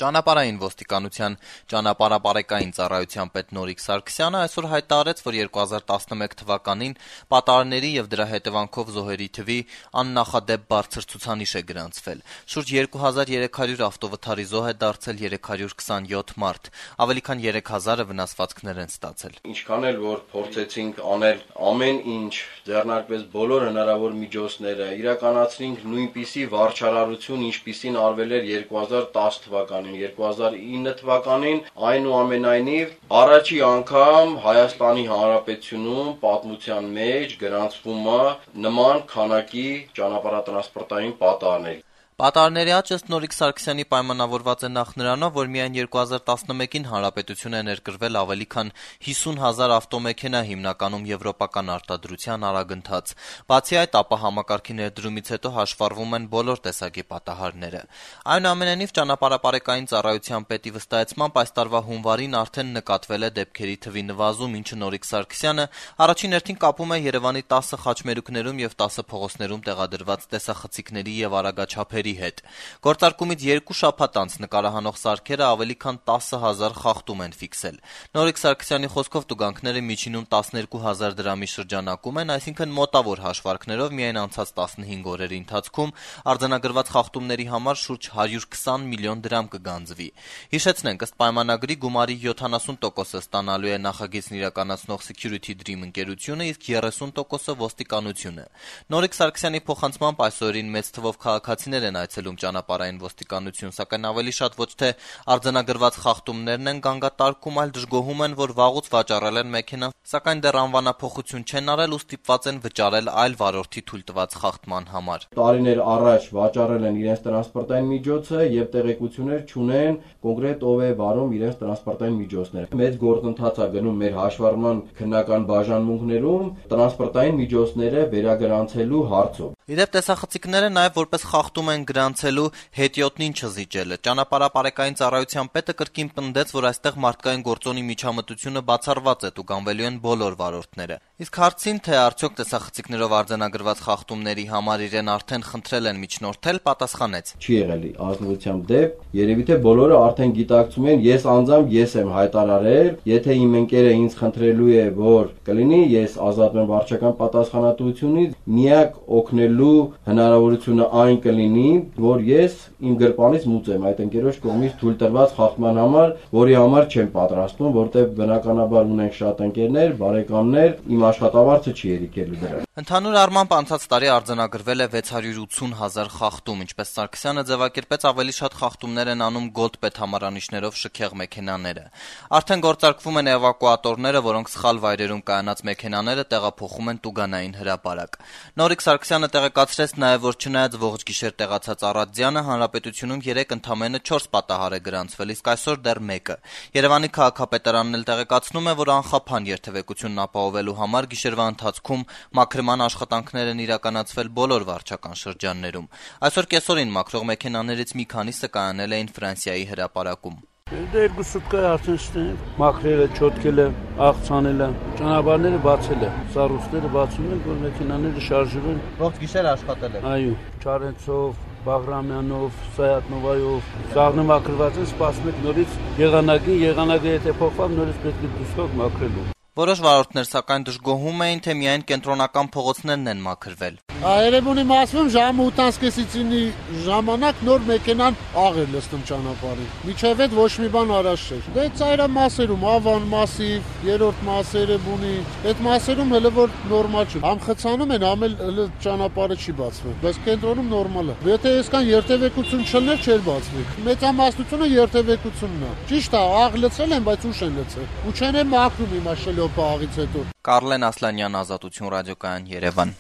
Ճանապարհային ոստիկանության ճանապարհապարեկային ծառայության պետ Նորիկ Սարգսյանը այսօր հայտարարեց, որ 2011 թվականին պատահարների եւ դրա հետեւանքով զոհերի թվի աննախադեպ բարձր ցուցանիշ է գրանցվել։ Շուրջ 2300 ավտովթարի զոհ է դարձել 327 մարդ, ավելի քան 3000-ը վնասվածքներ են ստացել։ Ինչքան էլ որ փորձեցինք անել ամեն ինչ, ձեռնարկվեց բոլոր հնարավոր միջոցները, իրականացրինք նույնպիսի վարչարարություն, ինչպիսին արվել էր 2010 թվականին, 2009 թվականին, այնուամենայնիվ առաջի անգամ Հայաստանի Հանրապետությունում պատմության մեջ գրանցվում է նման քանակի ճանապարհատրանսպորտային պատահարներ։ Պատահարների աճ ըստ Նորիկ Սարգսյանի պայմանավորված է նախ նրանով, որ միայն 2011-ին հանրապետություն է ներկրվել ավելի քան 50,000 ավտոմեքենա, հիմնականում եվրոպական արտադրության արագընթաց։ Բացի այդ, ապա համակարգի ներդրումից հետո հաշվառվում են բոլոր տեսակի պատահարները։ Այնուամենայնիվ, ճանապարհապարեկային ծառայության պետի վստահեցմամբ այս տարվա հունվարին արդեն նկատվել է դեպքերի թվի նվազում, ինչը Նորիկ Սարգսյանը առաջին հերթին կապում է Երևանի 10 խաչմերուկներում եւ 10 փողոցներում տեղադրված տեսախցիկների եւ արագաչափերի հետ։ Գործարկումից 2 շաբաթ անց նկարահանող սարքերը ավելի քան 10,000 խախտում են ֆիքսել։ Նորիկ Սարգսյանի խոսքով տուգանքները միջինում 12,000 դրամի շրջանակում են, այսինքն մոտավոր հաշվարկներով միայն անցած 15 օրերի ընթացքում արձանագրված խախտումների համար շուրջ 120 միլիոն դրամ կգանձվի։ Հիշեցնենք, ըստ պայմանագրի գումարի 70%-ը ստանալու է նախագիծն իրականացնող Security Dream ընկերությունը, իսկ 30%-ը ոստիկանությունը։ Նորիկ Սարգսյանի փոխանցմամբ այսօրին մեծ թվով քաղաքացիներ են այցելում ճանապարհային ոստիկանություն, սակայն ավելի շատ ոչ թե արձանագրված խախտումներն են գանգատարկում, այլ դժգոհում են, որ վաղուց վաճառել են մեքենան, սակայն դեռ անվանափոխություն չեն արել ու ստիպված են վճարել այլ վարորդի թույլ տված խախտման համար։ Տարիներ առաջ վաճառել են իրենց տրանսպորտային միջոցը եւ տեղեկություններ չունեն կոնկրետ ով է վարում իրենց տրանսպորտային միջոցները։ Մեծ գործընթաց է գնում մեր հաշվառման քննական բաժանմունքներում տրանսպորտային միջոցները վերագրանցելու հարցով։ Իդեպ տեսախցիկները նաև որպես խախտում են գրանցելու հետիոտնին չզիջելը։ Ճանապարհապարեկային ծառայության պետը կրկին պնդեց, որ այստեղ մարդկային գործոնի միջամտությունը բացառված է, տուգանվելու են բոլոր վարորդները։ Իսկ հարցին, թե արդյոք տեսախցիկներով արձանագրված խախտումների համար իրեն արդեն խնդրել են միջնորդել, պատասխանեց. Չի եղել ազնվությամբ դեպք, երևի թե բոլորը արդեն գիտակցում են, ես անձամբ ես եմ հայտարարել, եթե իմ ընկերը ինձ խնդրելու է, որ կլինի, ես ազատվեմ վարչական պատասխանատվությունից, միակ օգնելու հնարավորությունը այն կլինի, որ ես իմ գրպանից մուծեմ այդ ընկերոջ կողմից թույլ տրված խախտման համար, որի համար չեմ պատրաստվում, որտեղ բնականաբար ունենք շատ ընկերներ, բարեկամներ, իմ աշխատավարձը չի երիկելու դրան։ Ընդհանուր առմամբ անցած տարի արձանագրվել է 680,000 խախտում, ինչպես Սարգսյանը ձևակերպեց, ավելի շատ խախտումներ են անում Gold պետհամարանիշներով շքեղ մեքենաները։ Արդեն գործարկվում են էվակուատորները, որոնք սխալ վայրերում կայանած մեքենաները տեղափոխում են տուգանային հրապարակ։ Նորիկ Սարգսյանը տեղեկացրեց նաև, որ չնայած ողջ գիշեր տեղացած առատձյանը, հանրապետությունում 3 ընդամենը 4 պատահար է գրանցվել, իսկ այսօր դեռ 1-ը։ Երևանի քաղաքապետարանն էլ տեղեկացնում է, որ անխափան երթևեկությունն ապահովելու համար գիշերվա ընթացքում մաքրման աշխատանքներ են իրականացվել բոլոր վարչական շրջաններում։ Այսօր կեսօրին մաքրող մեքենաներից մի քանիսը կայանել էին Ֆրանսիայի հրապարակում։ Դե 2 սուտկա արդեն շտեն մաքրելը, չոտկելը, աղցանելը, ճանապարհները բացել է, սառույցները բացում են, որ մեքենաները շարժվում են։ Ողջ գիշեր աշխատել եք։ Այո, Չարենցով, Բաղրամյանով, Սայատնովայով, սաղնը մաքրված են, սպասում եք նորից եղանակը եթե փոխվավ, նորից պետք է դուսով մաքրելու։ Որոշ վարորդներ սակայն դժգոհում էին, թե միայն կենտրոնական փողոցներն են մաքրվել։ Երևանի մասում ժամը 8:30-ի ժամանակ նոր մեքենան աղ էր լցնում ճանապարհին։ Միջև այդ ոչ մի բան առաջ չէր։ Դե ծայրամասերում, Ավան մասիվ, երրորդ մասերը բունի, այդ մասերում հələ որ նորմալ չէ։ Ամխցանում են, ամել հələ ճանապարհը չի բացվում, բայց կենտրոնում նորմալ է։ Եթե այսքան երթևեկություն չլներ, չէր բացվի։ Մեծամասնությունը երթևեկությունն է։ Ճիշտ է, աղ լցել են, բայց ուշ են լցել։ Ու չեն մաքրում իմա շլոպը աղից հետո։ Կարլեն Ասլանյան, Ազատություն ռադիոկայան, Երևան։